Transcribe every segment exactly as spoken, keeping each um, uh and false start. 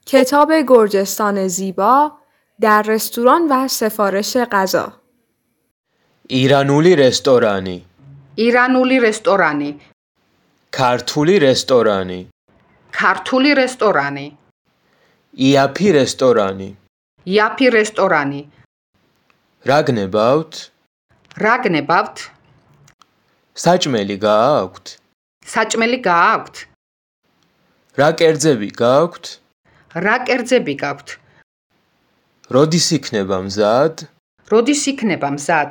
کتاب گرجستان زیبا در رستوران و سفارش غذا. ایرانولی رستورانی ایرانولی رستورانی ქართული რესტორანი ქართული რესტორანი იაფი რესტორანი იაფი რესტორანი რა გნებავთ? რა გნებავთ? საჭმელი გააქვთ? საჭმელი გააქვთ? რა კერძები გაქვთ? რა კერძები გაქვთ? როდის იქნება მზად? როდის იქნება მზად?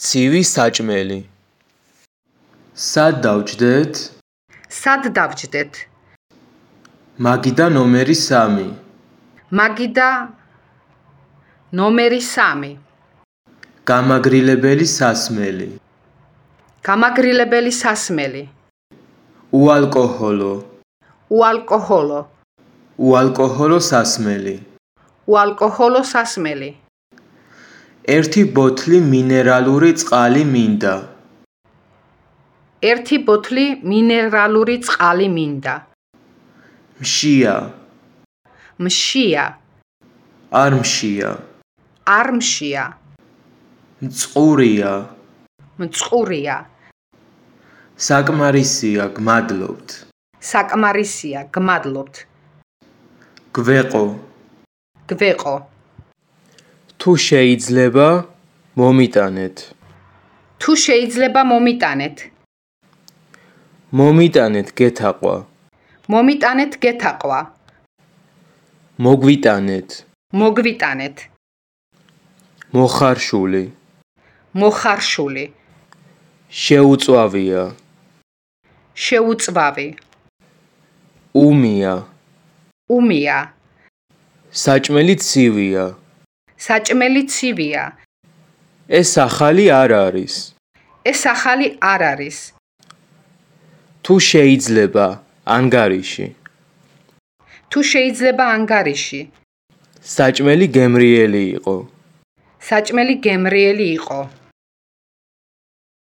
ცივი საჭმელი სად დავჯდეთ? სად დავჯდეთ? მაგიდა ნომერი სამი მაგიდა ნომერი სამი გამაგრილებელი სასმელი გამაგრილებელი სასმელი უალკოჰოლო უალკოჰოლო უალკოჰოლო სასმელი უალკოჰოლო სასმელი ერთი ბოთლი მინერალური წყალი მინდა ერთი ბოთლი მინერალური წყალი მინდა მშია მშია არ მშია არ მშია მწყურია მწყურია საკმარისია გმადლობთ საკმარისია გმადლობთ გვეყო გვეყო თუ შეიძლება მომიტანეთ თუ შეიძლება მომიტანეთ მომიტანეთ გეთაყვა მომიტანეთ გეთაყვა მოგვიტანეთ მოგვიტანეთ მოხარშული მოხარშული შეუწვავია შეუწვავი უმია უმია საჭმელი ცივია საჭმელი ცივია ეს ახალი არ არის ეს ახალი არ არის თუ შეიძლება ანგარიში თუ შეიძლება ანგარიში საჭმელი გემრიელი იყო საჭმელი გემრიელი იყო